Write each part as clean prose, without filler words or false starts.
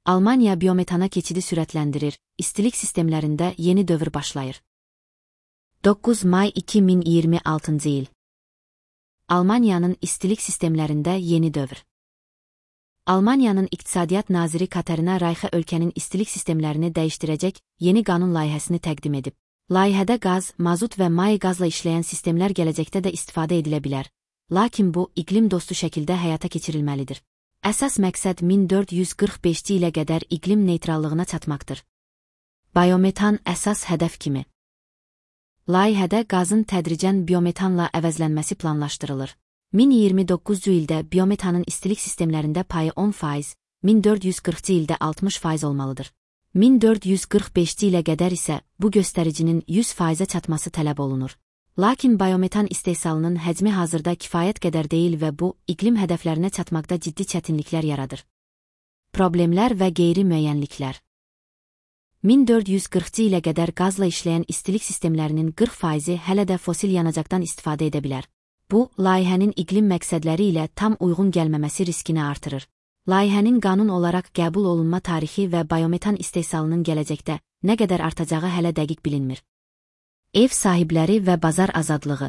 Almaniya biometana keçidi sürətləndirir, istilik sistemlərində yeni dövr başlayır. 9 may 2026 il. Almaniyanın istilik sistemlərində yeni dövr. Almaniyanın İqtisadiyyat naziri Katarina Rayxe ölkənin istilik sistemlərini dəyişdirəcək yeni qanun layihəsini təqdim edib. Layihədə qaz, mazut və may qazla işləyən sistemlər gələcəkdə də istifadə edilə bilər. Lakin bu, iqlim dostu şəkildə həyata keçirilməlidir. Əsas məqsəd 1445 ilə qədər iqlim neytrallığına çatmaqdır. Biometan əsas hədəf kimi. Layihədə qazın tədricən biometanla əvəzlənməsi planlaşdırılır. 1029-cu ildə biometanın istilik sistemlərində payı 10%, 1440-cı ildə 60% olmalıdır. 1445-ci ilə qədər isə bu göstəricinin 100%-ə çatması tələb olunur. Lakin biometan istehsalının həcmi hazırda kifayət qədər deyil və bu, iqlim hədəflərinə çatmaqda ciddi çətinliklər yaradır. Problemlər və qeyri-müəyyənliklər. 1440-cı ilə qədər qazla işləyən istilik sistemlərinin 40%-i hələ də fosil yanacaqdan istifadə edə bilər. Bu, layihənin iqlim məqsədləri ilə tam uyğun gəlməməsi riskini artırır. Layihənin qanun olaraq qəbul olunma tarixi və biometan istehsalının gələcəkdə nə qədər artacağı hələ dəqiq bilinmir. Ev sahibləri və bazar azadlığı.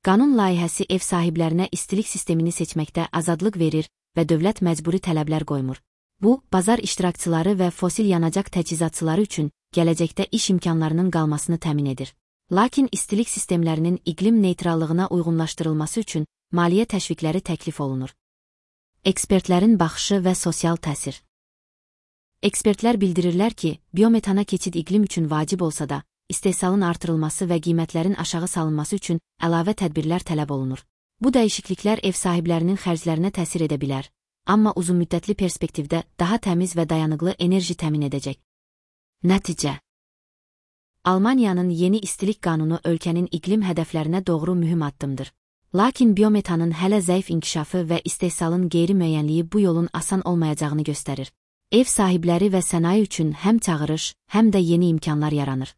Qanun layihəsi ev sahiblərinə istilik sistemini seçməkdə azadlıq verir və dövlət məcburi tələblər qoymur. Bu, bazar iştirakçıları və fosil yanacaq təchizatçıları üçün gələcəkdə iş imkanlarının qalmasını təmin edir. Lakin istilik sistemlərinin iqlim neytrallığına uyğunlaşdırılması üçün maliyyə təşviqləri təklif olunur. Ekspertlərin baxışı və sosial təsir. Ekspertlər bildirirlər ki, biometana keçid iqlim üçün vacib olsa da, istehsalın artırılması və qiymətlərin aşağı salınması üçün əlavə tədbirlər tələb olunur. Bu dəyişikliklər ev sahiblərinin xərclərinə təsir edə bilər, amma uzunmüddətli perspektivdə daha təmiz və dayanıqlı enerji təmin edəcək. Nəticə. Almaniyanın yeni istilik qanunu ölkənin iqlim hədəflərinə doğru mühüm addımdır. Lakin biometanın hələ zəif inkişafı və istehsalın qeyri-müəyyənliyi bu yolun asan olmayacağını göstərir. Ev sahibləri və sənaye üçün həm çağırış, həm də yeni imkanlar yaranır.